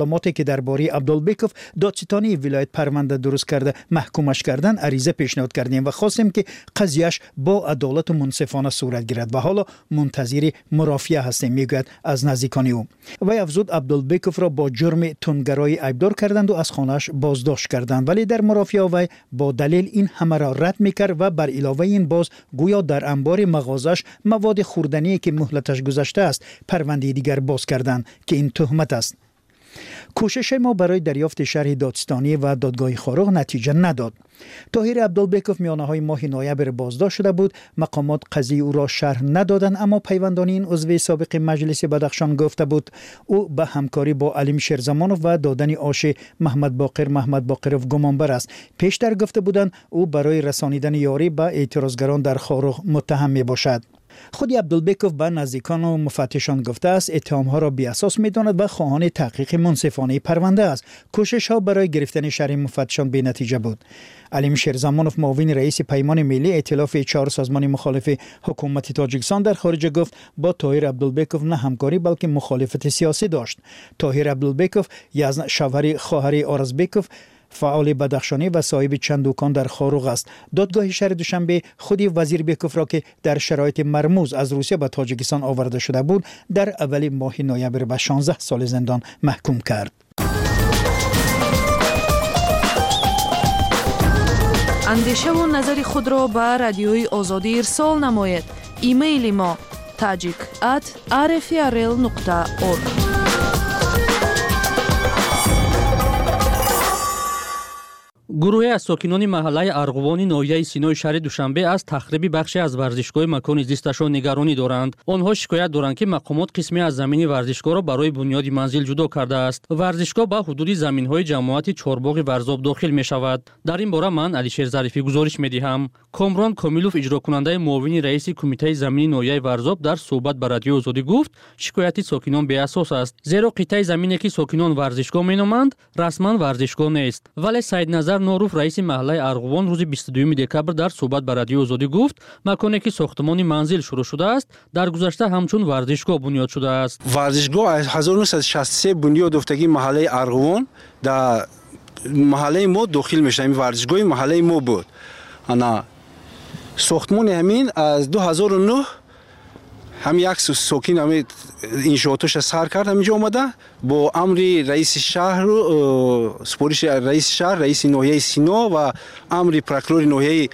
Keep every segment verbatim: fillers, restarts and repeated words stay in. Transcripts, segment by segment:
Маълумоте ки дар бораи Абдулбеков додситонии вилоят парванда дуруст карда маҳкумаш кардан ариза пешниҳод кардем ва хостем ки қазияш бо адолату мунсифона сурат гирад ва ҳоло мунтазири мурофиа ҳастем, мегӯяд аз наздикони ӯ. Вай афзуд, Абдулбековро бо ҷурми тундгароӣ айбдор карданд ва аз хонааш боздошт карданд, вале дар мурофиа вай бо далел ин ҳамаро рад мекард ва бар иловаи ин боз гӯё дар анбори мағозааш маводи хӯрдание ки муҳлаташ гузаштааст парвандаи дигар боз карданд ки ин туҳмат аст. Кӯшиши мо барои дарёфти шарҳи додситонӣ ва додгоҳи Хоруғ натиҷа надод. Тоҳир Абдулбеков миёнаҳои моҳи ноябр боздошт шуда буд. Мақомот қазияи ӯро шарҳ надоданд, аммо пайвандони ин узви собиқи маҷлиси Бадахшон гуфта буд, ӯ ба ҳамкорӣ бо Алим Шерзамонов ва додани оши Маҳмадбоқир Маҳмадбоқиров гумонбар аст. Пештар гуфта буданд, ӯ барои расонидани ёрӣ ба эътирозгарон дар Хоруғ муттаҳам мебошад. Худи Абдулбеков ба наздикону муфаттишон гуфтааст, иттиҳомҳоро беасос медонад ва хоҳони таҳқиқи мунсифонаи парванда аст. Кӯшишҳо барои гирифтани шарҳи муфаттишон бенатиҷа буд. Алим Шерзамонов, муовини раиси Паймони миллӣ, эътилофи чаҳор созмони мухолифи ҳукумати Тоҷикистон дар хориҷа гуфт, бо Тоҳир Абдулбеков на ҳамкорӣ, балки мухолифати сиёсӣ дошт. Тоҳир Абдулбеков шавҳари хоҳари Оразбеков, фаъоли бадахшонӣ ва соҳиби чанд дукон дар Хоруғ аст. Додгоҳи шаҳри Душанбе худи Вазирбековро, ки дар шароити мармуз аз Русия ба Тоҷикистон оварда шуда буд, дар аввали моҳи ноябр ба шонздаҳ соли зиндон маҳкум кард. Андешаву назари худро ба Радиои Озодӣ ирсол намоед. Имейли мо tajik at rfrl нуқта org. Гурӯҳе аз сокинони маҳаллаи Арғувони ноҳияи Синои шаҳри Душанбе аз тахриби бахше аз варзишгоҳи макони зисташон нигаронӣ доранд. Онҳо шикоят доранд, ки мақомот қисме аз замини варзишгоҳро барои бунёди манзил ҷудо кардааст. Варзишгоҳ ба ҳудуди заминҳои ҷамоати Чорбоғи Варзоб дохил мешавад. Дар ин бора ман Алишер Зарифӣ гузориш медиҳам. Комрон Комилов, иҷрокунандаи муовини раиси кумитаи замини ноҳияи Варзоб, дар суҳбат ба Радиои Озодӣ гуфт, шикояти сокинон беасос аст, зеро қитъаи замине ки сокинон варзишгоҳ меноманд, расман варзишгоҳ нест. Вале Саидназар Норуф, раиси маҳаллаи Арғувон, рӯзи бисту дуюми декабр дар суҳбат ба Радиои Озодӣ гуфт, маконе ки сохтмони манзил шурӯъ шудааст, дар гузашта ҳамчун варзишгоҳ бунёд шудааст. Варзишгоҳ аз ҳазору нӯҳсаду шасту се бунёд ёфтагии маҳаллаи Арғувон дар маҳаллаи мо дохил мешавад. Ин варзишгоҳи маҳаллаи мо буд. Ана сохтмони ҳамин аз ду ҳазору нӯҳ ҳам як сокин ҳамин иншоотоша сар кард, ҳаминҷо омада бо амри раиси шаҳру супориши раиси шаҳр, раиси ноҳияи Сино ва амри прокурори ноҳияи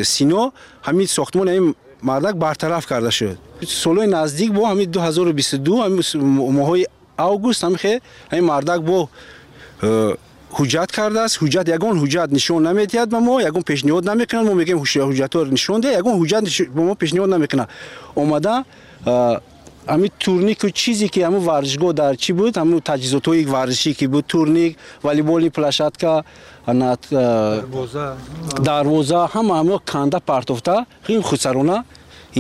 Сино ҳамин сохтмони ҳамин мардак бартараф карда шуд. Солҳои наздик бо ҳамин ду ҳазору бисту ду ҳамин моҳҳои август ҳамин ҳамин мардак бо ҳуҷҷат кардааст. Ҳуҷҷат ягон ҳуҷҷат нишон намедиҳад ба мо, ягон пешниҳод намекунад. Мо мегӯем ҳуҷҷатҳоро нишон деҳ, ягон ҳуҷҷат ба мо пешниҳод намекунад. Омада ҳамин турнику чизе ки ҳамун варзишгоҳ дар чӣ буд, ҳамун таҷҳизотҳои варзишӣ ки буд, турник, волейболни площадка, дарвоза, ҳама ҳамао канда партофта, хеле худсарона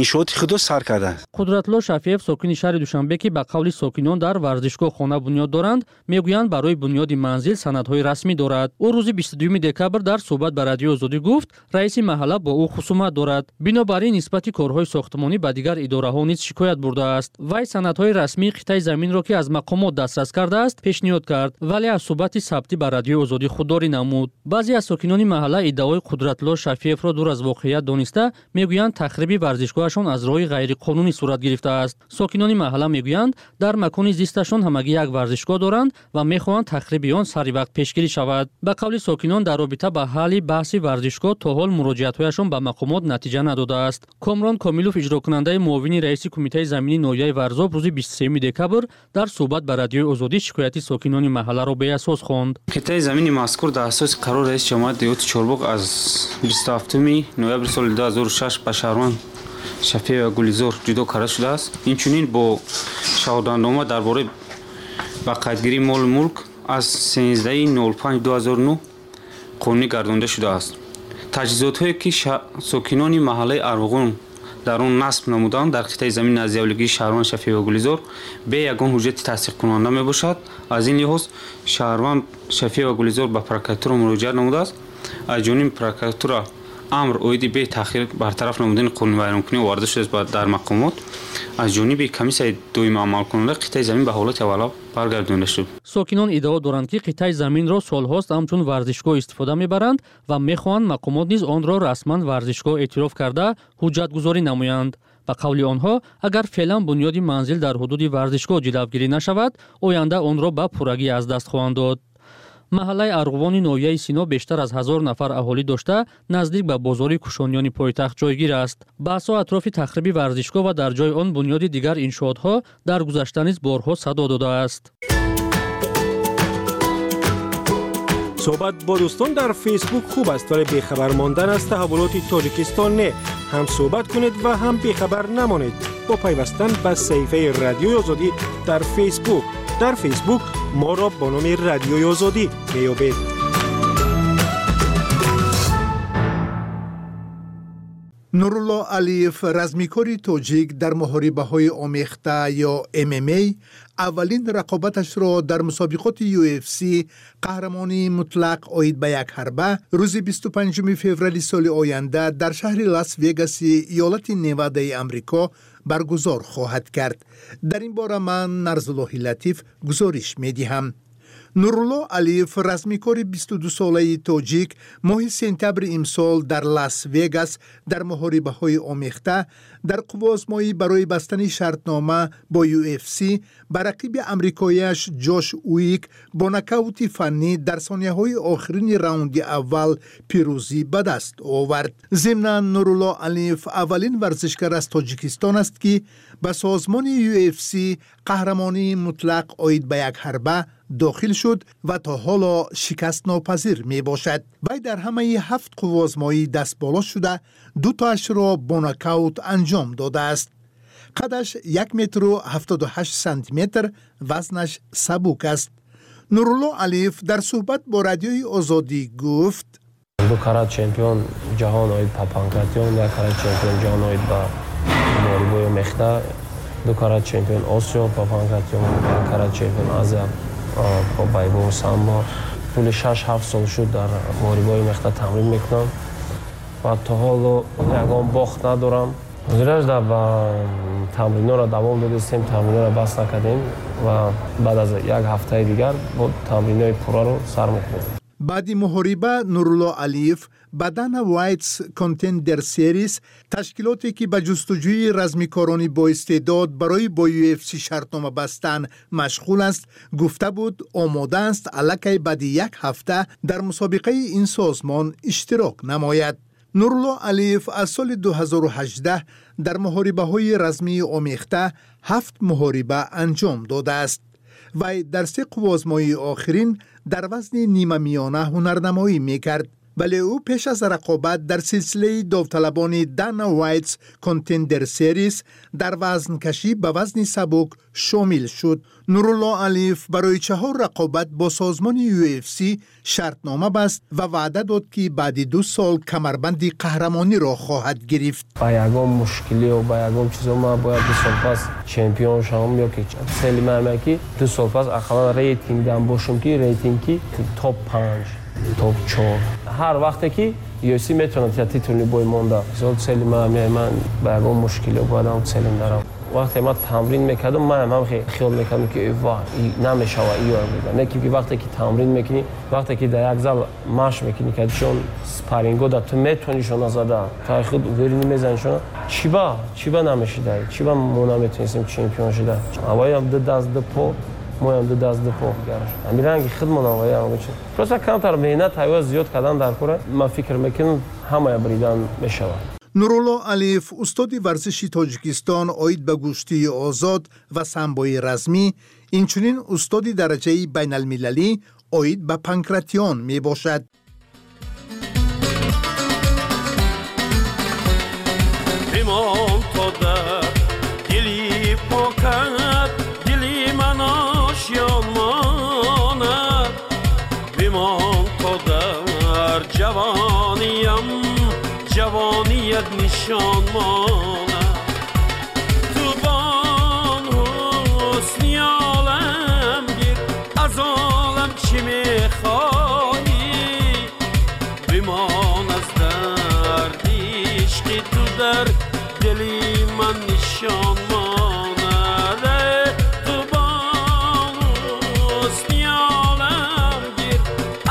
иншооти худро сар кардааст. Қудратулло Шафиев, сокини шаҳри Душанбе, ки ба қавли сокинон дар варзишгоҳ хона бунёд доранд, мегӯянд барои бунёди манзил санадҳои расмӣ дорад. Ӯ рӯзи бисту дуюми декабр дар суҳбат ба Радиои Озодӣ гуфт, раиси маҳалла бо ӯ хусумат дорад. Бинобар ин нисбати корҳои сохтмонӣ ба дигар идораҳо низ шикоят бурдааст. Вай санадҳои расмии қитъаи заминро, ки аз мақомот дастрас кардааст, пешниҳод кард, вале аз суҳбати сабтӣ ба Радиои Озодӣ худдорӣ намуд. Баъзе аз сокинони маҳалла иддаои Қудратулло Шафиевро дур аз воқеият дониста, мегӯянд тахриби варзишгоҳ аз роҳи ғайриқонунӣ сурат гирифтааст. Сокинони маҳалла мегӯянд, дар макони зисташон ҳамагӣ як варзишгоҳ доранд ва мехоҳанд тахриби он сари вақт пешгирӣ шавад. Ба қавли сокинон, дар робита ба ҳалли баҳси варзишгоҳ то ҳол муроҷиатҳояшон ба мақомот натиҷа надодааст. Комрон Комилов, иҷрокунандаи муовини раиси кумитаи замини ноҳияи Варзоб, рӯзи бисту сеюми декабр дар суҳбат ба Радиои Озодӣ шикояти сокинони маҳалларо беасос хонд. Қитъаи замини мазкур дар асоси қарори раиси ҷамоати деҳоти Чорбоғ аз бисту ҳафтуми ноябри соли ду ҳазору шаш ба шаҳрванд Шафиева Гулизор ҷудо карда шудааст. Инчунин бо шаҳодатнома дар бораи ба қайдгирии молу мулк аз сенздаҳи нол панҷ ду ҳазору нӯҳ қонунӣ гардонда шудааст. Таҷҳизотҳое ки сокинони маҳаллаи Арғувон дар он насб намуданд дар қитъаи замини наздиҳавлигии шаҳрванд Шафиева Гулизор бе ягон ҳуҷҷати тасдиқкунанда мебошад. Аз ин лиҳоз шаҳрванд Шафиева Гулизор ба прокуратура муроҷиат намудааст. Аз ҷониби прокуратура Амр оиди бетаъхир бартараф намудани қонунвайронкунӣ оварда шудааст дар мақомот. Аз ҷониби комиссияи доимии амалкунанда қитъаи замин ба ҳолати аввала баргардонида шуд. Сокинон иддао доранд, ки қитъаи заминро солҳост ҳамчун варзишгоҳ истифода мебаранд ва мехоҳанд мақомот низ онро расман варзишгоҳ эътироф карда ҳуҷҷатгузорӣ намоянд. Ба қавли онҳо, агар феълан бунёди манзил дар ҳудуди варзишгоҳ ҷилавгирӣ нашавад, оянда онро ба пуррагӣ аз даст хоҳанд дод. Маҳаллаи Арғувони ноҳияи Сино бештар аз ҳазор нафар аҳолӣ дошта, наздик ба бозори кушониёни пойтахт ҷойгир аст. Баҳсҳо атрофи тахриби варзишгоҳ ва дар ҷои он бунёди дигар иншоотҳо дар гузашта низ борҳо садо додааст. Суҳбат бо дӯстон дар Фейсбук хуб аст, вале бехабар мондан аз таҳаввулоти Тоҷикистон не. Ҳам суҳбат кунед ва ҳам бехабар намонед бо пайвастан ба саҳифаи Радиои Озодӣ дар Фейсбук. Дар Фейсбук моро бо номи Радиои Озодӣ меёбед. Нурулло Алиев, размикори тоҷик дар муҳорибаҳои омехта ё эм эм а, аввалин рақобаташро дар мусобиқоти ю эф си қаҳрамонии мутлақ оид ба як ҳарба рӯзи бисту панҷуми феврали соли оянда дар шаҳри Лас-Вегаси иёлати Невадаи Амрико баргузор хоҳад кард. Дар ин бора ман Нарзуллоҳи Латиф гузориш медиҳам. Нурулло Алиев, размикори бисту дусолаи тоҷик, моҳи сентябри имсол дар Лас-Вегас дар муҳорибаҳои омехта дар қувваозмоӣ барои бастани шартнома бо ю эф си ба рақиби амрикояш Ҷош Уик бо нокаути фаннӣ дар сонияҳои охирини раунди аввал пирӯзӣ ба даст овард. Зимнан, Нурулло Алиев аввалин варзишгар аз Тоҷикистон аст, ки ба созмони ю эф си қаҳрамонии мутлақ оид ба як ҳарба дохил шуд ва то ҳоло шикастнопазир мебошад. Вай дар ҳамаи ҳафт қувваозмоӣ дастболо шуда, дутоашро бо нокаут анҷом додааст. Қадаш як метру ҳафтоду ҳашт сантиметр, вазнаш сабук аст. Нурулло Алиев дар суҳбат бо Радиои Озодӣ гуфт: ду карат чемпион ҷаҳон оид ба панкратион, як карат чемпион ҷаҳон оид ба муҳорибаи омехта, ду карат чемпион Осиё ба панкратион, як карат чемпион Азия по борьбе самбо. Тӯли шаш-ҳафт сол шуд дар муҳорибаи омехта тамрин мекунам ва то ҳоло ягон бохт надорам. Ҳозираш дар ба тамринҳоро давом додистем, тамринҳоро бас накардем ва баъд аз як ҳафтаи дигар бо тамринҳои пурраро сар мекунем. Баъди муҳориба Нурулло Алиев ба Дана Вайтс Contender Series, ташкилоте ки ба ҷустуҷӯи размикорони боистеъдод барои бо ю эф си шартнома бастан машғул аст, гуфта буд омода аст аллакай баъди як ҳафта дар мусобиқаи ин созмон иштирок намояд. Нурулло Алиев аз соли ду ҳазору ҳаждаҳ дар муҳорибаҳои размии омехта ҳафт муҳориба анҷом додааст. Вай дар се қувваозмоии охирин дар вазни нимамиёна ҳунарнамоӣ мекард, вале ӯ пеш аз рақобат дар силсилаи довталабони Дана Вайтс Contender Series дар вазнкашӣ ба вазни сабук шомил шуд. Нурулло Алиев барои чаҳор рақобат бо созмони ю эф си шартнома баст ва ваъда дод, ки баъди ду сол камарбанди қаҳрамониро хоҳад гирифт. Ба ягон мушкилиё, ба ягон чизо ман бояд ду сол пас чемпион шавам, ё ки цели ман ҳаме ки ду сол пас ақаллан рейтингдам бошам, ки рейтинги топ панҷ, топ чор. Ҳар вақте ки ю эф си метавонад титулни бой монда. Мисол цели ман ҳаме, ман ба ягон мушкилиё бояд ҳам целим дарам. Вақте ман тамрин мекардам, ман ҳам хиёл мекардам, ки ва намешава иё мегӯям. Не ки вақте ки тамрин мекунӣ, вақте ки дар як зал машқ мекунӣ, ки чун спарринго да ту метавонӣ шона зада, та худ уверенӣ мезанӣ шона. Чӣ ба? Чӣ ба намешидаӣ? Чӣ ба мо наметавонистем чемпион шуда? Аввалам ду даст ду по, моям ду даст ду по. Ҳамин ранги худмон аввалам. Просто камтар меҳнат ҳайва зиёд кардан дар кора, ман фикр мекунам ҳамая бридан мешавад. Нурулло Алиев, устоди варзиши Тоҷикистон оид ба гӯштии озод ва самбои размӣ, инчунин устоди дараҷаи байналмилалӣ оид ба панкратион мебошад. Бимон то дар дили покат, дили ман ошён монад. Бимон то дар ҷавониям ҷавоният нишон монад. Ту бон ҳусни олам гир, аз олам чӣ мехоҳӣ? Бимон аз дар در دلی من نشان ماند. تو بانو حسنی عالم گیر،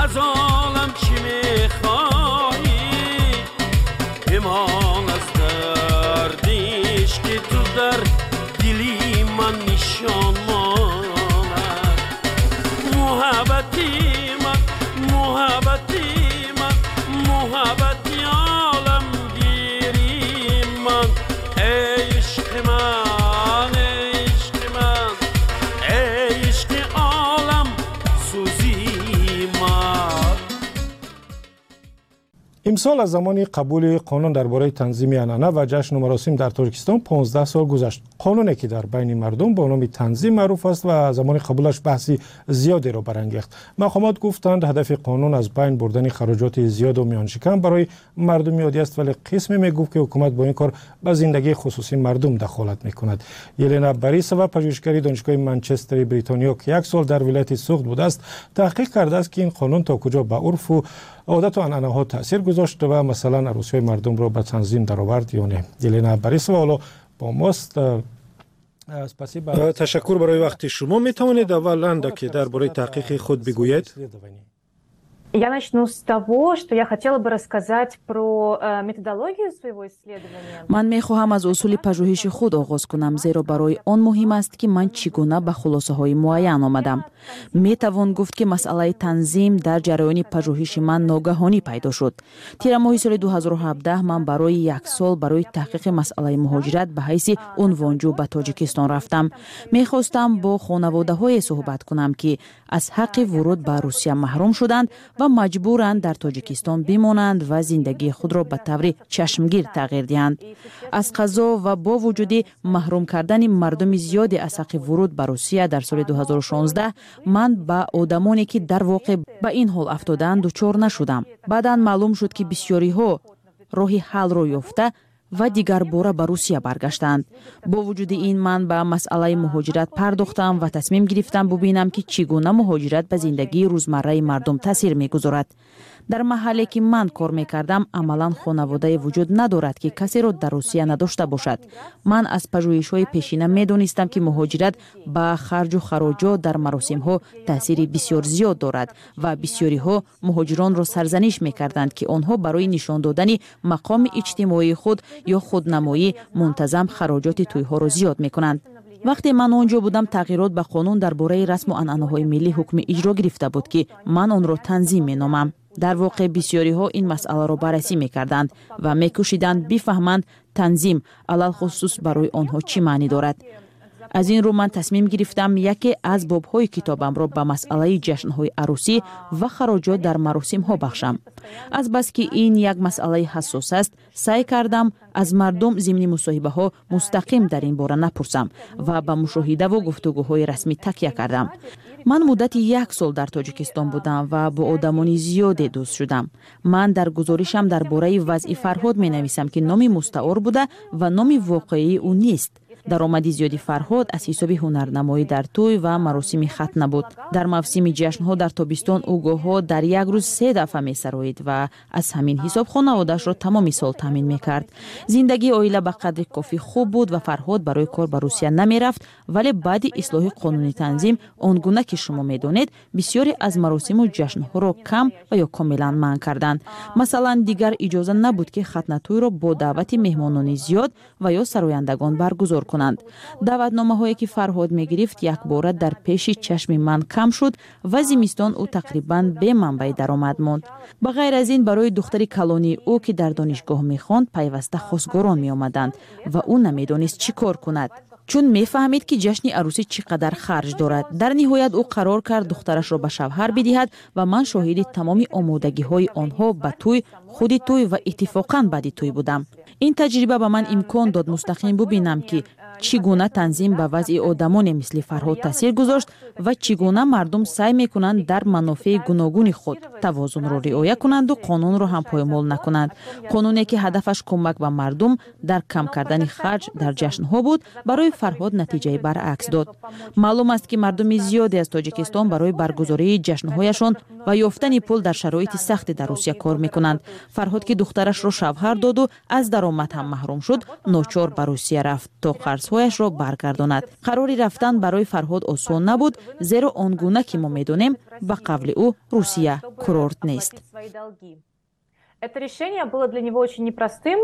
از عالم چی میخواهی؟ بمان از دردیش که تو در دلی من نشان ماند. محبتی من، محبتی من، محبتی عالم گیری من، ای عشق من، ای عشق من، ای عشق عالم سوزی من. Имсол аз замони қабули қонун дар бораи танзими анъана ва ҷашну маросим дар Тоҷикистон понздаҳ сол гузашт. Қонуне ки дар байни мардум бо номи танзим маъруф аст ва замони қабулаш баҳси зиёдеро барангехт. Мақомот гуфтанд, ҳадафи қонун аз байн бурдани хароҷоти зиёду миёншикан барои мардуми оддӣ аст, вале қисме мегуфт, ки ҳукумат бо ин кор ба зиндагии хусусии мардум дахолат мекунад. Елена Борисова, пажӯҳишгари Донишгоҳи Манчестери Бритониё, ки як сол дар вилояти Суғд будааст, таҳқиқ кардааст, ки ин қонун то куҷо ба урфу одату анъанаҳо таъсир гузошт ва масалан арӯсиҳои мардумро ба танзим даровард ё не. Елена Борисова ҳоло бо мост. Ташаккур барои вақти шумо. Метавонед аввал андаке дар бораи таҳқиқи худ бигӯед? Я начну с того, что я хотела бы рассказать про э, методологию своего исследования. Ман мехоҳам аз усули пажӯҳиши худ оғоз кунам, зеро барои он муҳим аст, ки ман чӣ гуна ба хулосаҳои муайян омадам. Метавон гуфт, ки масъалаи танзим дар ҷараёни пажӯҳиши ман ногаҳонӣ пайдо шуд. Тирамоҳи соли ду ҳазору ҳабдаҳ ман барои як сол барои таҳқиқи масъалаи муҳоҷират ба ҳайси унвонҷӯ ба Тоҷикистон рафтам. Мехостам бо хонаводаҳое суҳбат кунам, ки аз ҳаққи вуруд ба Русия маҳрум шуданд ва маҷбуранд дар Тоҷикистон бимонанд ва зиндагии худро ба таври чашмгир тағйир диҳанд. Аз қазо ва бо вуҷуди маҳрум кардани мардуми зиёде аз ҳаққи вуруд ба Русия дар соли ду ҳазору шонздаҳ, ман ба одамоне, ки дар воқеъ ба ин ҳол афтодаанд, дучор нашудам. Баъдан маълум шуд, ки бисёриҳо роҳи ҳаллро ёфта ва дигарбора ба Русия баргаштанд. Бо вуҷуди ин, ман ба масъалаи муҳоҷират пардохтам ва тасмим гирифтам бубинам, ки чӣ гуна муҳоҷират ба зиндагии рӯзмарраи мардум таъсир мегузорад. Дар маҳалле, ки ман кор мекардам, амалан хонаводае вуҷуд надорад, ки касеро дар Русия надошта бошад. Ман аз пажӯҳишҳои пешина медонистам, ки муҳоҷират ба харҷу хароҷот дар маросимҳо таъсири бисёр зиёд дорад ва бисёриҳо муҳоҷиронро сарзаниш мекарданд, ки онҳо барои нишон додани мақоми иҷтимоии худ ё худнамоӣ мунтазам хароҷоти тӯйҳоро зиёд мекунанд. Вақте ман он ҷо будам, тағйирот ба қонун дар бораи расму анъанаҳои миллӣ ҳукми иҷро гирифта буд, ки ман онро танзим меномам. Дар воқеъ, бисёриҳо ин масъаларо баррасӣ мекарданд ва мекӯшиданд бифаҳманд, танзим алалхусус барои онҳо чӣ маънӣ дорад. Аз ин рӯ ман тасмим гирифтам яке аз бобҳои китобамро ба масъалаи ҷашнҳои арӯсӣ ва хароҷот дар маросимҳо бахшам. Азбаски ин як масъалаи ҳассос аст, саъй кардам аз мардум зимни мусоҳибаҳо мустақим дар ин бора напурсам ва ба мушоҳидаву гуфтугӯҳои расмӣ такя кардам. Ман муддати як сол дар Тоҷикистон будам ва бо одамони зиёде дӯст шудам. Ман дар гузоришам дар бораи вазъи Фарҳод менависам, ки номи мустаор буда ва номи воқеии ӯ нест. Даромади зиёди Фарҳод аз ҳисоби ҳунарнамоӣ дар тӯй ва маросими хатна буд. Дар мавсими ҷашнҳо дар тобистон ӯ гоҳҳо дар як рӯз се дафъа месароид ва аз ҳамин ҳисоб хонаводаашро тамоми сол таъмин мекард. Зиндагии оила ба қадри кофӣ хуб буд ва Фарҳод барои кор ба Русия намерафт. Вале баъди ислоҳи қонуни танзим, он гуна ки шумо медонед, бисёре аз маросиму ҷашнҳоро кам ва ё комилан манъ карданд. Масалан, дигар иҷоза набуд, ки хатнатӯйро бо даъвати меҳмонони зиёд ва ё сарояндагон баргузор кунанд. Даъватномаҳое, ки Фарҳод мегирифт, якбора дар пеши чашми ман кам шуд ва зимистон ӯ тақрибан бе манбаи даромад монд. Ба ғайр аз ин, барои духтари калонии ӯ, ки дар донишгоҳ мехонд, пайваста хосгорон меомаданд ва ӯ намедонист чӣ кор кунад, чун мефаҳмид, ки ҷашни арӯсӣ чӣ қадар харҷ дорад. Дар ниҳоят ӯ қарор кард духтарашро ба шавҳар бидиҳад ва ман шоҳиди тамоми омодагиҳои онҳо ба тӯй, худи тӯй ва иттифоқан баъди тӯй будам. Ин таҷриба ба ман имкон дод мустақим бубинам, ки Чӣ гуна танзим ба вазъи одамоне мисли Фарҳод таъсир гузошт ва чӣ гуна мардум саъй мекунанд дар манофеи гуногуни худ тавозунро риоя кунанду қонунро ҳам поймол накунанд. Қонуне, ки ҳадафаш кӯмак ба мардум дар кам кардани харҷ дар ҷашнҳо буд, барои Фарҳод натиҷаи баръакс дод. Маълум аст, ки мардуми зиёде аз Тоҷикистон барои баргузории ҷашнҳояшон ва ёфтани пул дар шароити сахте дар Русия кор мекунанд. Фарҳод, ки духтарашро шавҳар доду аз даромад ҳам маҳрум шуд, ночор ба Русия рафт, то қарзҳояшро баргардонад. Қарори рафтан барои Фарҳод осон набуд, зеро он гуна ки мо медонем, ба қавли ӯ, Русия курорт нест. Это решение было для него очень непростым.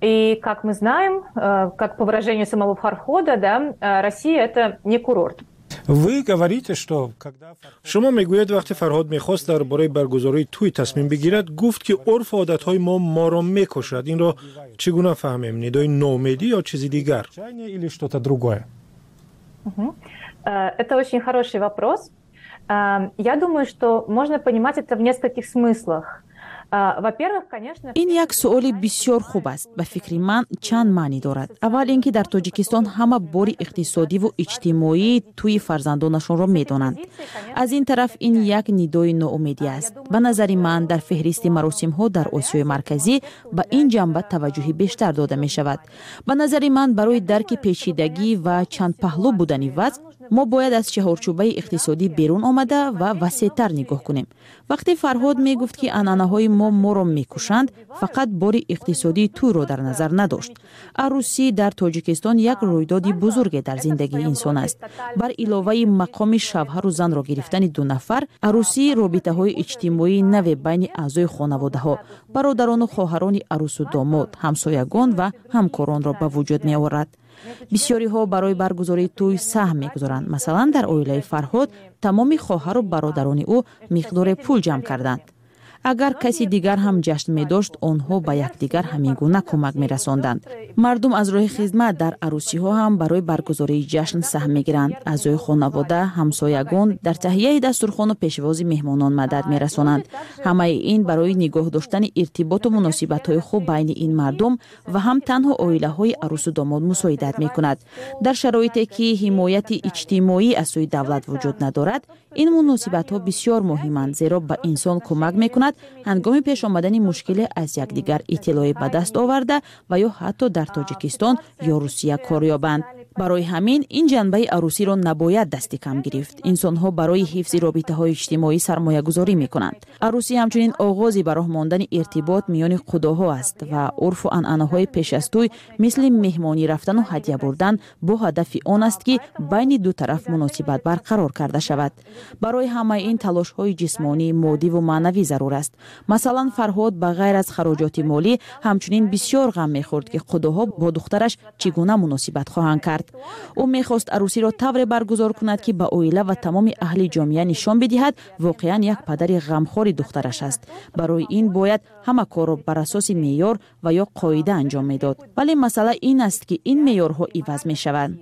И, как мы знаем, э, как по выражению самого Фархода, да, э, Россия – это не курорт. Вы говорите, что когда шумо мегӯед, вақте Фарҳод мехост дар бораи баргузории тӯй тасмим бигирад, гуфт, ки урфу одатҳои мо моро мекушад. Инро чӣ гуна фаҳмем: нидои ноумедӣ ё чизи дигар? Или что-то другое? Э, это очень хороший вопрос. Я думаю, что можно понимать это в нескольких смыслах. Ин як суоли бисёр хуб аст. Ба фикри ман, чанд маънӣ дорад. Аввал ин ки дар Тоҷикистон ҳама бори иқтисодиву иҷтимоии тӯи фарзандонашонро медонанд. Аз ин тараф, ин як нидои ноумедӣ аст. Ба назари ман, дар феҳристи маросимҳо дар Осиёи Марказӣ ба ин ҷанба таваҷҷӯҳи бештар дода мешавад. Ба назари ман, барои дарки печидагӣ ва чандпаҳлӯ будани вазъ мо бояд аз чаҳорчӯбаи иқтисодӣ берун омада ва васеътар нигоҳ кунем. Вақте Фарҳод мегуфт, ки анъанаҳои мо моро мекушанд, фақат бори иқтисодии тӯйро дар назар надошт. Арӯсӣ дар Тоҷикистон як рӯйдоди бузурге дар зиндагии инсон аст. Бар иловаи мақоми шавҳару занро гирифтани ду нафар, арӯсӣ робитаҳои иҷтимоии наве байни аъзои хонаводаҳо, бародарону хоҳарони арӯсу домод, ҳамсоягон ва ҳамкоронро ба вуҷуд меорад. Бисёриҳо барои баргузории тӯй саҳм мегузоранд. Масалан, дар оилаи Фарҳод тамоми хоҳару бародарони ӯ миқдоре пул ҷамъ карданд. Агар каси дигар ҳам ҷашн медошт, онҳо ба якдигар ҳамин гуна кӯмак мерасонданд. Мардум аз роҳи хизмат дар арӯсиҳо ҳам барои баргузории ҷашн саҳм мегиранд. Аъзои хонавода, ҳамсоягон дар таҳияи дастурхону пешвози меҳмонон мадад мерасонанд. Ҳамаи ин барои нигоҳ доштани иртиботу муносибатҳои хуб байни ин мардум ва ҳам танҳо оилаҳои арӯсу домод мусоидат мекунад. Дар шароите ки ҳимояти иҷтимоӣ аз сӯи давлат вуҷуд надорад, ин муносибатҳо бисёр муҳиманд, зеро ба инсон кӯмак мекунад ҳангоми пеш омадани мушкиле аз якдигар иттилоъе ба даст оварда ва ё ҳатто дар Тоҷикистон ё Русия кор ёбанд. Барои ҳамин ин ҷанбаи арӯсиро набояд дасти кам гирифт. Инсонҳо барои ҳифзи робитаҳои иҷтимоӣ сармоягузорӣ мекунанд. Арӯсӣ ҳамчунин оғози ба роҳ мондани иртибот миёни қудоҳо аст ва урфу анъанаҳои пеш аз тӯй, мисли меҳмонӣ рафтану ҳадя бурдан, бо ҳадафи он аст, ки байни ду тараф муносибат барқарор карда шавад. Барои ҳамаи ин талошҳои ҷисмонӣ, моддиву маънавӣ зарур аст. Масалан, Фарҳод ба ғайр аз хароҷоти молӣ ҳамчунин бисёр ғам мехӯрд, ки қудоҳо бо духтараш чӣ гуна муносибат хоҳанд кард. Ӯ мехост арӯсиро тавре баргузор кунад, ки ба оила ва тамоми аҳли ҷомеа нишон бидиҳад, воқеан як падари ғамхори духтараш аст. Барои ин бояд ҳама корро бар асоси меъёр ва ё қоида анҷом медод. Вале масъала ин аст, ки ин меъёрҳо иваз мешаванд.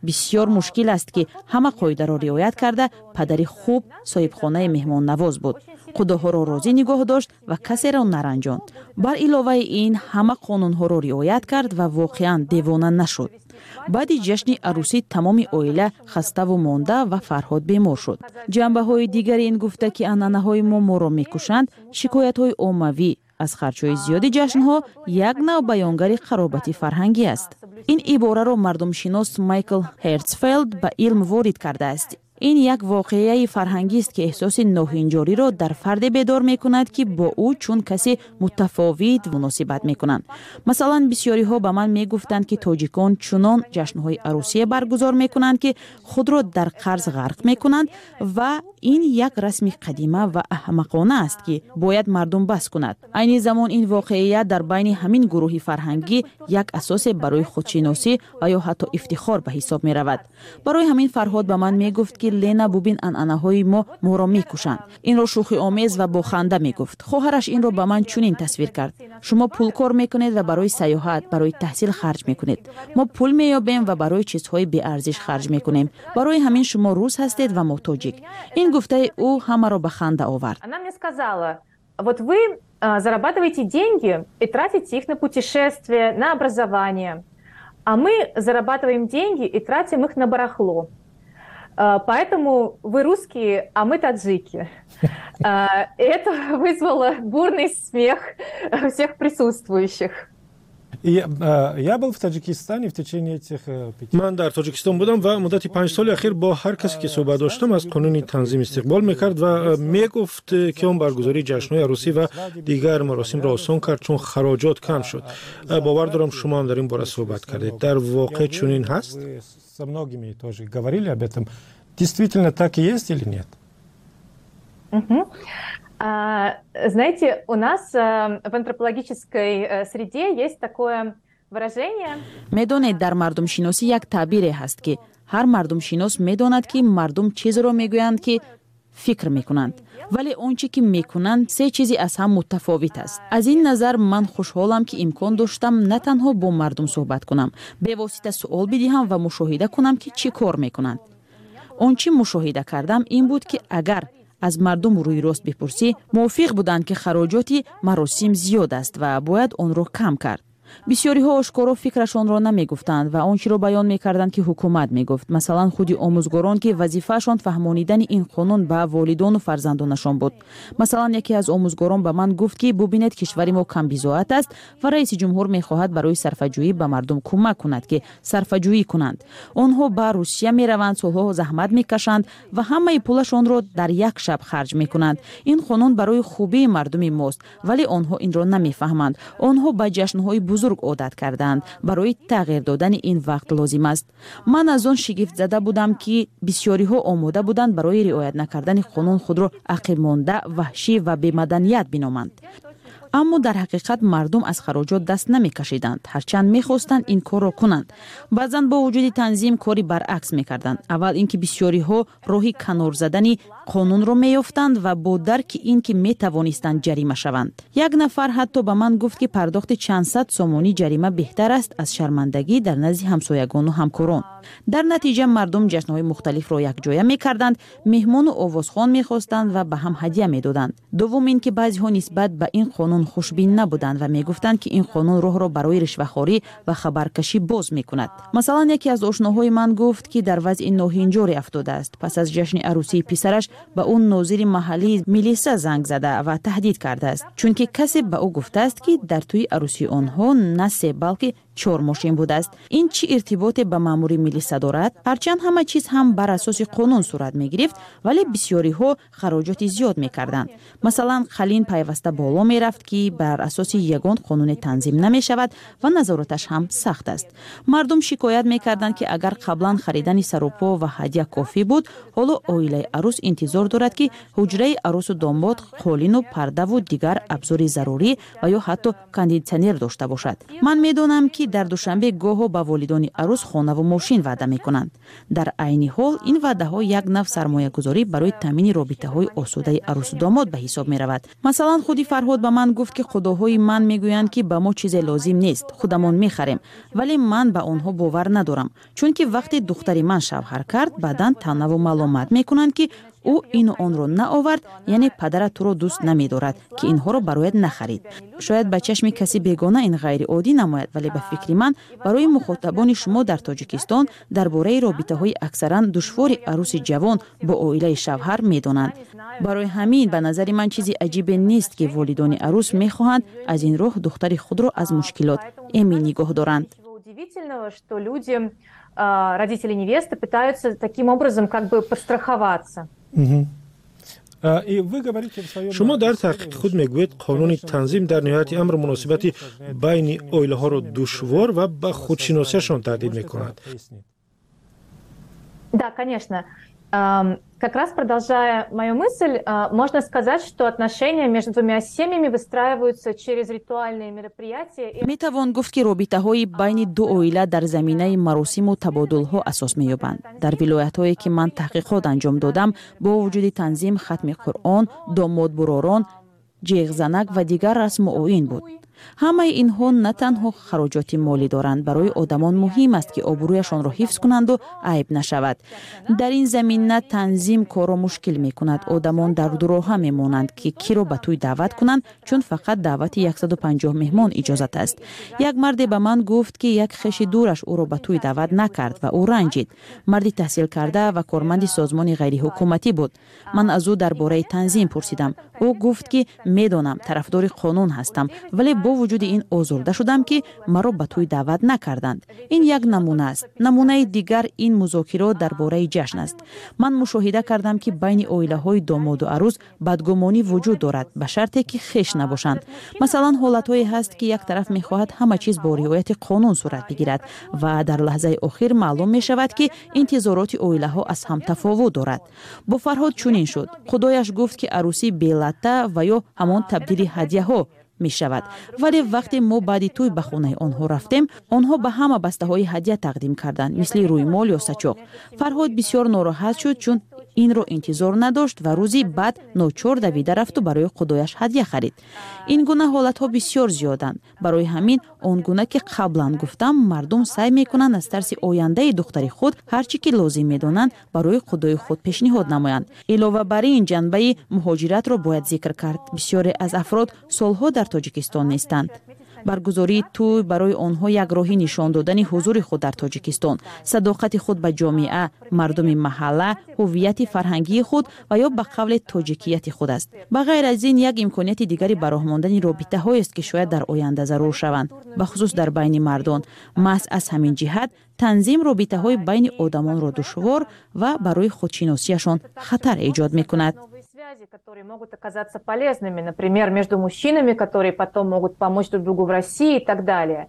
Бисёр мушкил аст, ки ҳама қоидаро риоят карда падари хуб, соҳибхонаи меҳмоннавоз буд, қудоҳоро розӣ нигоҳ дошт ва касеро наранҷонд. Бар иловаи ин, ҳама қонунҳоро риоят кард ва воқеан девона нашуд. Баъди ҷашни арӯсӣ тамоми оила хаставу монда ва Фарҳод бемор шуд. Ҷанбаҳои дигари ин гуфта, ки анъанаҳои мо моро мекушанд, шикоятҳои оммавӣ аз харҷҳои зиёди ҷашнҳо як нав баёнгари қаробати фарҳангӣ аст. Ин ибораро мардумшинос Майкл Хертсфелд ба илм ворид кардааст. Ин як воқеаи фарҳангист, ки эҳсоси ноҳинҷориро дар фарде бедор мекунад, ки бо ӯ чун касе мутафовит муносибат мекунанд. Масалан, бисёриҳо ба ман мегуфтанд, ки тоҷикон чунон ҷашнҳои арӯсие баргузор мекунанд, ки худро дар қарз ғарқ мекунанд, ва ин як расми қадима ва аҳмақона аст, ки бояд мардум бас кунад. Айни замон ин воқеият дар байни ҳамин гурӯҳи фарҳангӣ як асосе барои худшиносӣ ва ё ҳатто ифтихор ба ҳисоб меравад. Барои ҳамин Фарҳод ба ман мегуфт, ки «Лена, бубин, анъанаҳои мо моро мекушанд». Инро шӯхиомез ва бо ханда мегуфт. Хоҳараш инро ба ман чунин тасвир кард: «Шумо пул кор мекунед ва барои сайёҳат, барои таҳсил харҷ мекунед. Мо пул меёбем ва барои чизҳои беарзиш харҷ мекунем. Барои ҳамин шумо рус ҳастед ва мо тоҷик». Ин гуфтаи ӯ ҳамаро ба ханда овард. Она мне сказала: вот вы зарабатываете деньги и тратите их на путешествия, на образование. А мы зарабатываем деньги и тратим их на барахло. Поэтому вы русские, а мы таджики. Это вызвало бурный смех всех присутствующих. Я был в Таджикистане в течение этих пяти... Ман дар Тоҷикистон будам ва муддати панҷ соли ахир бо ҳар касе ки суҳбат доштам, аз қонуни танзим истиқбол мекард ва мегуфт, ки он баргузории ҷашнҳои арӯсӣ ва дигар маросимро осон кард, чун хароҷот кам шуд. Бовар дорам, шумо ҳам дар ин бора суҳбат кардед. Дар воқеъ чунин ҳаст? Со многими тоже говорили об этом. Действительно так и есть или нет? Угу. А, знаете, у нас в антропологической среде есть такое выражение. Медонед, дар мардумшиносӣ як таъбире ҳаст, ки ҳар мардумшинос медонад, ки мардум чизеро мегӯянд, ки фикр мекунанд, вале он чӣ ки мекунанд, се чизи аз ҳам мутафовит аст. Аз ин назар ман хушҳолам, ки имкон доштам на танҳо бо мардум суҳбат кунам, бевосита суол бидиҳам ва мушоҳида кунам, ки чӣ кор мекунанд. Он чӣ мушоҳида кардам, ин буд, ки агар аз мардум рӯи рост бипурсӣ, мувофиқ буданд, ки хароҷоти маросим зиёд аст ва бояд онро кам кард. Бисёриҳо ошкоро фикрашонро намегуфтанд ва он чиро баён мекарданд, ки ҳукумат мегуфт. Масалан, худи омӯзгорон, ки вазифаашон фаҳмонидани ин қонун ба волидону фарзандонашон буд. Масалан, яке аз омӯзгорон ба ман гуфт, ки бубинед, кишвари мо камбизоат аст ва раиси ҷумҳур мехоҳад барои сарфаҷӯӣ ба мардум кӯмак кунад, ки сарфаҷӯӣ кунанд. Онҳо ба Русия мераванд, солҳо заҳмат мекашанд ва ҳамаи пулашонро дар як шаб харҷ мекунанд. Ин қонун барои хубии мардуми мост, вале онҳо инро намефаҳманд. Онҳо ба ҷашнҳои бузург одат кардаанд. Барои тағйир додани ин вақт лозим аст. Ман аз он шигифтзада будам, ки бисёриҳо омода буданд барои риоят накардани қонун худро ақибмонда, ваҳшӣ ва бемаданият биноманд. Аммо дар ҳақиқат мардум аз хароҷот даст намекашиданд, ҳарчанд мехостанд ин корро кунанд. Баъзан бо вуҷуди танзим кори баръакс мекарданд. Аввал ин ки бисёриҳо роҳи канор задани қонунро меёфтанд ва бо дарки ин ки метавонистанд ҷарима шаванд. Як нафар ҳатто ба ман гуфт, ки пардохти чандсад сомонӣ ҷарима беҳтар аст аз шармандагӣ дар назди ҳамсоягону ҳамкорон. Дар натиҷа мардум ҷашнҳои мухталифро якҷоя мекарданд, меҳмону овозхон мехостанд ва ба ҳам ҳадя медоданд. Дуввум ин ки баъзеҳо нисбат ба ин қонун хушбин набуданд ва мегуфтанд, ки ин қонун роҳро барои ришвахорӣ ва хабаркашӣ боз мекунад. Масалан, яке аз ошноҳои ман гуфт, ки дар вазъи ноҳинҷоре афтодааст. Пас аз ҷашни арӯсии писараш ба ӯ нозири маҳаллии милиса занг зада ва таҳдид кардааст, чунки касе ба ӯ гуфтааст, ки дар тӯи арӯсии онҳо на се, балки чор мошин будааст. Ин чӣ иртиботе ба маъмури милиса дорад? Ҳарчанд ҳама чиз ҳам бар асоси қонун сурат мегирифт, вале бисёриҳо хароҷоти зиёд мекарданд. Масалан, қалин пайваста боло мерафт, ки бар асоси ягон қонуне танзим намешавад ва назораташ ҳам сахт аст. Мардум шикоят мекарданд, ки агар қаблан харидани сарупо ва ҳадя кофӣ буд, ҳоло оилаи арӯс интизор дорад, ки ҳуҷраи арӯсу домод қолину пардаву дигар абзори зарурӣ ва ё ҳатто кондитсионер дошта бошад. Ман медонам, ки дар Душанбе гоҳо ба волидони арӯс хонаву мошин ваъда мекунанд. Дар айни ҳол ин ваъдаҳо як нав сармоягузорӣ барои таъмини робитаҳои осудаи арӯсу домод ба ҳисоб меравад. Масалан, худи Фарҳод ба ман гуфт, ки худоҳои ман мегӯянд, ки ба мо чизе лозим нест, худамон мехарем, вале ман ба онҳо бовар надорам, чунки вақте духтари ман шавҳар кард, баъдан таънаву маломат мекунанд, ки ӯ ину онро наовард, яъне падарат туро дӯст намедорад, ки инҳоро барояд нахарид. Шояд ба чашми каси бегона ин ғайриоддӣ намояд, вале ба фикри ман барои мухотабони шумо дар Тоҷикистон дар бораи робитаҳои аксаран душвори арӯси ҷавон бо оилаи шавҳар медонанд. Барои ҳамин ба назари ман чизи аҷибе нест, ки волидони арӯс мехоҳанд аз ин роҳ духтари худро аз мушкилот эмин нигоҳ доранд. Удивительного, что люди, родители невесты, пытаются таким образом как бы подстраховаться. Шумо дар таҳқиқи худ мегӯед, қонуни танзим дар ниҳояти амр муносибати байни оилаҳоро душвор ва ба худшиносиашон таҳдид мекунад. Да, конечно. Как раз продолжая мою мысль, можно сказать, что отношения между двумя семьями выстраиваются через ритуальные мероприятия. Метавон гуфт, ки робитаҳои байни ду оила дар заминаи маросиму табодулҳо асос меёбанд. Дар вилоятҳое, ки ман таҳқиқот анҷом додам, бо вуҷуди танзим, хатми Қуръон, домодбуророн, ҷеғзанак ва дигар расму оин буд. Ҳамаи инҳо на танҳо хароҷоти молӣ доранд. Барои одамон муҳим аст, ки обрӯяшонро ҳифз кунанду айб нашавад. Дар ин замина танзим корро мушкил мекунад. Одамон дар дуроҳа мемонанд, ки киро ба тӯй даъват кунанд, чун фақат даъвати яксаду панҷоҳ меҳмон иҷозат аст. Як марде ба ман гуфт, ки як хеши дураш ӯро ба тӯй даъват накард ва ӯ ранҷид. Марди таҳсилкарда ва корманди созмони ғайриҳукуматӣ буд. Ман аз ӯ дар бораи танзим пурсидам. Ӯ гуфт, ки медонам, тарафдори қонун ҳастам, вале бо вуҷуди ин озурда шудам, ки маро ба тӯй даъват накарданд. Ин як намуна аст. Намунаи дигар ин музокирот дар бораи ҷашн аст. Ман мушоҳида кардам, ки байни оилаҳои домоду арӯз бадгумонӣ вуҷуд дорад, ба шарте ки хеш набошанд. Масалан, ҳолатҳое ҳаст, ки як тараф мехоҳад ҳама чиз бо риояти қонун сурат бигирад ва дар лаҳзаи охир маълум мешавад, ки интизороти оилаҳо аз ҳам тафовут дорад. Бо Фарҳод чунин шуд. Худояш гуфт, ки арӯсӣ белатта ва ё ҳамон табдили ҳадяҳо мешавад, вале вақте мо баъди тӯй ба хонаи онҳо рафтем, онҳо ба ҳама бастаҳои ҳадя тақдим карданд, мисли рӯймол ё сачоқ. Фарҳод бисёр нороҳат шуд, чун инро интизор надошт ва рӯзи баъд ночор давида рафту барои худояш ҳадя харид. Ин гуна ҳолатҳо бисёр зиёданд. Барои ҳамин, он гуна ки қаблан гуфтам, мардум саъй мекунанд аз тарси ояндаи духтари худ ҳар чӣ ки лозим медонанд, барои худои худ пешниҳод намоянд. Илова бар ин, ҷанбаи муҳоҷиратро бояд зикр кард. Бисёре аз афрод солҳо дар Тоҷикистон нестанд. Баргузории тӯй барои онҳо як роҳи нишон додани ҳузури худ дар Тоҷикистон, садоқати худ ба ҷомеа, мардуми маҳалла, ҳуввияти фарҳангии худ ва ё ба қавле тоҷикияти худ аст. Ба ғайр аз ин, як имконияти дигари ба роҳ мондани робитаҳоест, ки шояд дар оянда зарур шаванд, бахусус дар байни мардон. Маҳз аз ҳамин ҷиҳат танзим робитаҳои байни одамонро душвор ва барои худшиносиашон хатар эҷод мекунад. Которые могут оказаться полезными, например, между мужчинами, которые потом могут помочь друг другу в России и так далее.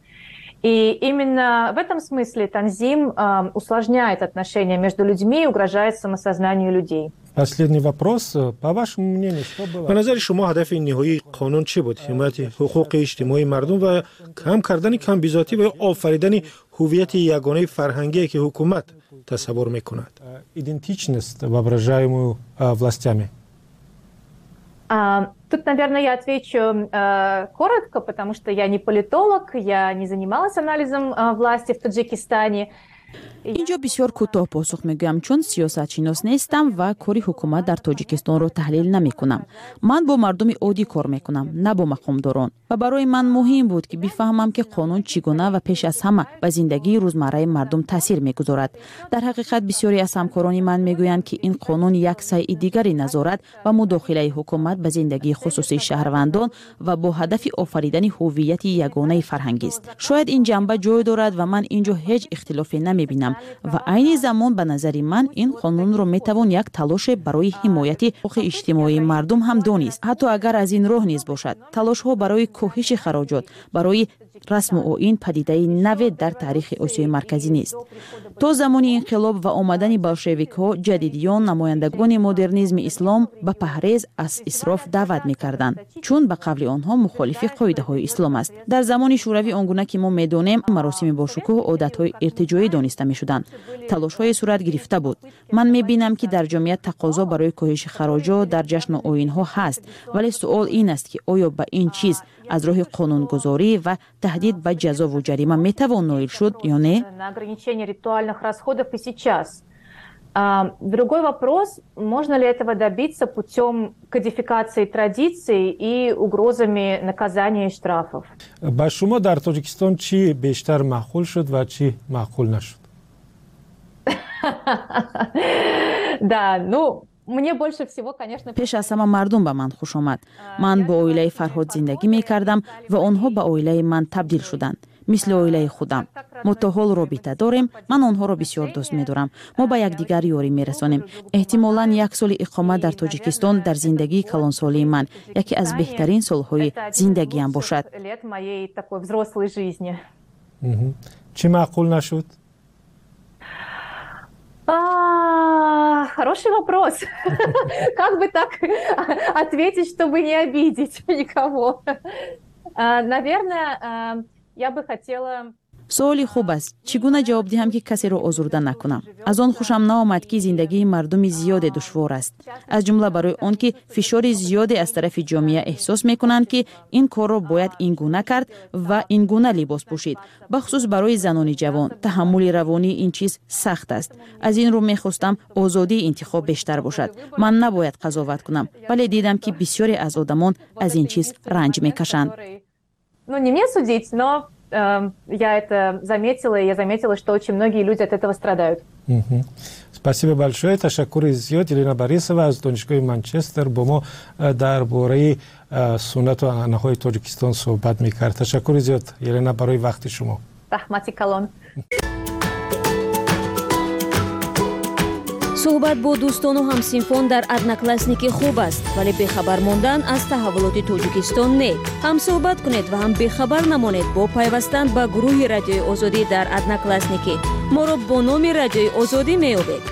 И именно в этом смысле танзим э, усложняет отношения между людьми и угрожает самосознанию людей. Последний вопрос. По вашему мнению, что было? Ба назари шумо, ҳадафи ниҳоии қонун чӣ буд? Ҳимояти ҳуқуқи иҷтимоии мардум ва кам кардани камбизоатӣ ва офаридани ҳуввияти ягонаи фарҳангие, ки ҳукумат тасаввур мекунад? Идентичность, воображаемую властями. А, тут, наверное, я отвечу э, коротко, потому что я не политолог, я не занималась анализом э, власти в Таджикистане. Инҷо бисёр кӯтоҳ посух мегӯям, чун сиёсатшинос нестам ва кори ҳукумат дар Тоҷикистонро таҳлил намекунам. Ман бо мардуми оддӣ кор мекунам, на бо мақомдорон, ва барои ман муҳим буд, ки бифаҳмам, ки қонун чӣ гуна ва пеш аз ҳама ба зиндагии рӯзмарраи мардум таъсир мегузорад. Дар ҳақиқат, бисёре аз ҳамкорони ман мегӯянд, ки ин қонун як сайъи дигари назорат ва мудохилаи ҳукумат ба зиндагии хусусии шаҳрвандон ва бо ҳадафи офаридани ҳуввияти ягонаи фарҳангист. Шояд ин ҷанба ҷой дорад ва ман ин ҷо ҳеҷ ихтилофе намебинам. Ва айни замон, ба назари ман, ин қонунро метавон як талоше барои ҳимояти ҳуқуқи иҷтимоии мардум ҳам донист, ҳатто агар аз ин роҳ низ бошад. Талошҳо барои коҳиши хароҷот барои расму оин падидаи наве дар таърихи Осиёи Марказӣ нест. То замони инқилоб ва омадани болшевикҳо, ҷадидиён, намояндагони модернизми ислом ба паҳрез аз исроф даъват мекарданд, чун ба қавли онҳо мухолифи қоидаҳои ислом аст. Дар замони Шӯравӣ, он гуна ки мо медонем, маросими бошукӯҳ одатҳои иртиҷоӣ дониста мешуданд. Талошҳое сурат гирифта буд. Ман мебинам, ки дар ҷомеа тақозо барои коҳиши хароҷот дар ҷашну оинҳо ҳаст, вале суол ин аст, ки оё ба ин чиз аз роҳи қонунгузорӣ ва таҳдид ба ҷазову ҷарима метавон ноил шуд ё не. На ограничение ритуальных расходов и сейчас. Другой вопрос, можно ли этого добиться путем кодификации традиций и угрозами наказания и штрафов. Ба шумо дар Тоҷикистон чӣ бештар маъқул шуд ва чӣ маъқул нашуд? Да, ну, мне больше всего, конечно. Пеш аз ҳама мардум ба ман хуш омад. Ман бо оилаи Фарҳод зиндагӣ мекардам ва онҳо ба оилаи ман табдил шуданд, мисли оилаи худам. Мо то ҳол робита дорем. Ман онҳоро бисёр дӯст медорам. Мо ба якдигар ёрӣ мерасонем. Эҳтимолан, як соли иқомат дар Тоҷикистон дар зиндагии калонсолии ман яке аз беҳтарин солҳои зиндагиам бошад. Лет моей такой взрослой жизни. Чӣ маъқул нашуд? Хороший вопрос. Как бы так ответить, чтобы не обидеть никого? Наверное, я бы хотела. Суоли хуб аст. Чӣ гуна ҷавоб диҳам, ки касеро озурда накунам? Аз он хушам наомад, ки зиндагии мардуми зиёде душвор аст, аз ҷумла барои он ки фишори зиёде аз тарафи ҷомеа эҳсос мекунанд, ки ин корро бояд ин гуна кард ва ин гуна либос пӯшид. Бахусус барои занони ҷавон таҳаммули равонии ин чиз сахт аст. Аз ин рӯ мехостам озодии интихоб бештар бошад. Ман набояд қазоват кунам, вале дидам, ки бисёре аз одамон аз ин чиз ранҷ мекашанд. Ну, не мне судить, но э, я это заметила, и я заметила, что очень многие люди от этого страдают. Спасибо большое. Ташаккури зиёд. Елена Борисова аз Донишгоҳи Манчестер бо мо дар бораи суннату анъанаҳои Тоҷикистон суҳбат мекард. Ташаккури зиёд, Елена, барои вақти шумо. Раҳмати калон. Суҳбат бо дӯстону ҳамсинфон дар Одноклассники хуб аст, вале бехабар мондан аз таҳаввулоти Тоҷикистон не. Ҳам суҳбат кунед ва ҳам бехабар намонед бо пайвастан ба гурӯҳи Радиои Озодӣ дар Одноклассники. Моро бо номи Радиои Озодӣ меёбед.